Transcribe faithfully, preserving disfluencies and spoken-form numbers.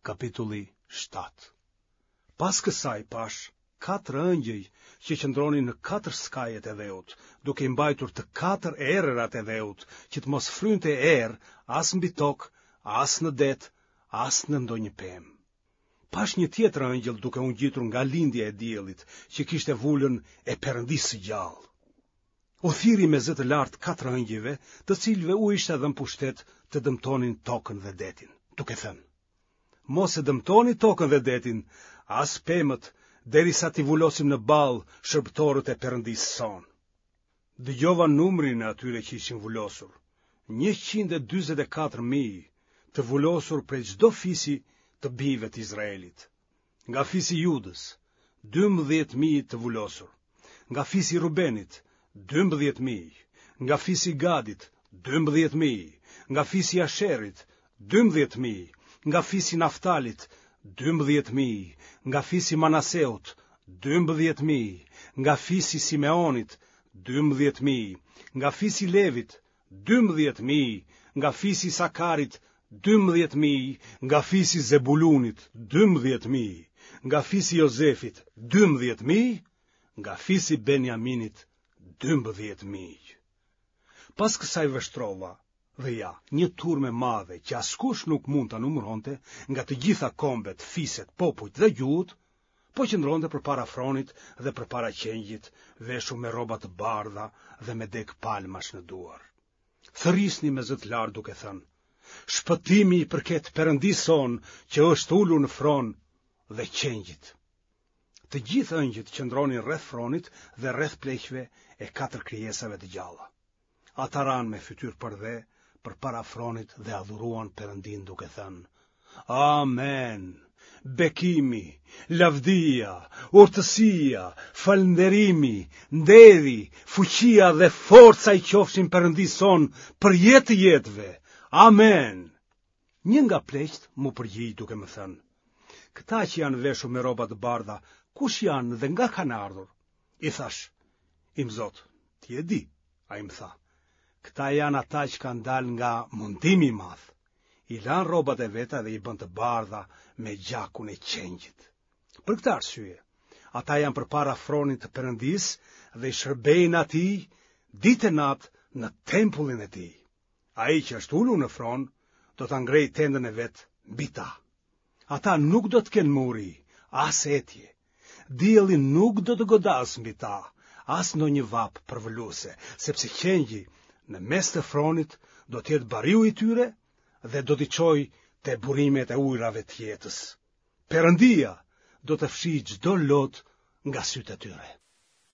Kapitulli shtatë. Pas kësaj pashë katër ëngjëj që qëndronin në katër skajet e dheut, duke i mbajtur të katër erërat e dheut, që të mos frynte erë as mbi tokë, as në det, as në ndonjë pemë. Pashë një tjetër ëngjëll duke u ngjitur nga lindja e diellit, që kishte vulën e Perëndisë së gjallë. U thirri me zë të lartë katër ëngjëjve, të cilëve u ishte dhënë pushtet të dëmtonin tokën dhe detin, duke thënë: Mos e dëmtoni tokën dhe detin, as pemët, derisa t'i vulosim në ballë shërbëtorët e Perëndisë sonë. Dëgjova numrin e atyre që ishin vulosur, njëqind e dyzet e katër mijë, të vulosur prej çdo fisi të bijve të Izraelit. Nga fisi i Judës, dymbëdhjetë mijë të vulosur, nga fisi i Rubenit, dymbëdhjetë mijë, nga fisi i Gadit, dymbëdhjetë mijë, nga fisi i Asherit, dymbëdhjetë mijë, nga fisi i Naftalit, dymbëdhjetë mijë, nga fisi i Manaseut, dymbëdhjetë mijë, nga fisi i Simeonit, dymbëdhjetë mijë, nga fisi i Levit, dymbëdhjetë mijë, nga fisi i Isakarit, dymbëdhjetë mijë, nga fisi i Zebulunit, dymbëdhjetë mijë, nga fisi i Jozefit, dymbëdhjetë mijë, nga fisi i Benjaminit, dymbëdhjetë mijë. Pas kësaj vështrova, dhe ja, një turmë e madhe që askush nuk mund ta numëronte, nga të gjitha kombet, fiset, popujt dhe gjuhët, po qëndronte përpara fronit dhe përpara qengjit, veshur me rroba të bardha dhe me degë palmash në duar. Thërrisnin me zë të lartë duke thënë: Shpëtimi i përket Perëndisë sonë që është ulur në fron dhe qengjit. Të gjithë ëngjëjt qëndronin rreth fronit dhe rreth pleqve e katër krijesave të gjalla. Ata ranë me fytyrë përdhe përpara fronit dhe adhuruan Perëndinë duke thënë: Amen! Bekimi, lavdia, urtësia, falënderimi, nderi, fuqia dhe forca i qofshin Perëndisë sonë për jetë të jetëve. Amen! Një nga pleqtë m'u përgjigj duke më thënë: Këta që janë veshur me rroba të bardha, kush janë dhe nga kanë ardhur? I thashë: Imzot, ti e di. Ai më tha: Këta janë ata që kanë dalë nga mundimi i madh. I lanë rrobat e veta dhe i bënë të bardha me gjakun e qengjit. Për këtë arsye, ata janë përpara fronit të Perëndisë dhe i shërbejnë atij ditë e natë në tempullin e tij. Ai që është ulur në fron do ta ngrejë tendën e vet mbi ta. Ata nuk do të kenë më uri, as etje. Dielli nuk do të godasë mbi ta, as ndonjë vapë përvëluese, sepse qengji në mes të fronit do të jetë bariu i tyre dhe do t'i çojë te burimet e ujërave të jetës. Perëndia do të fshijë çdo lot nga sytë e tyre.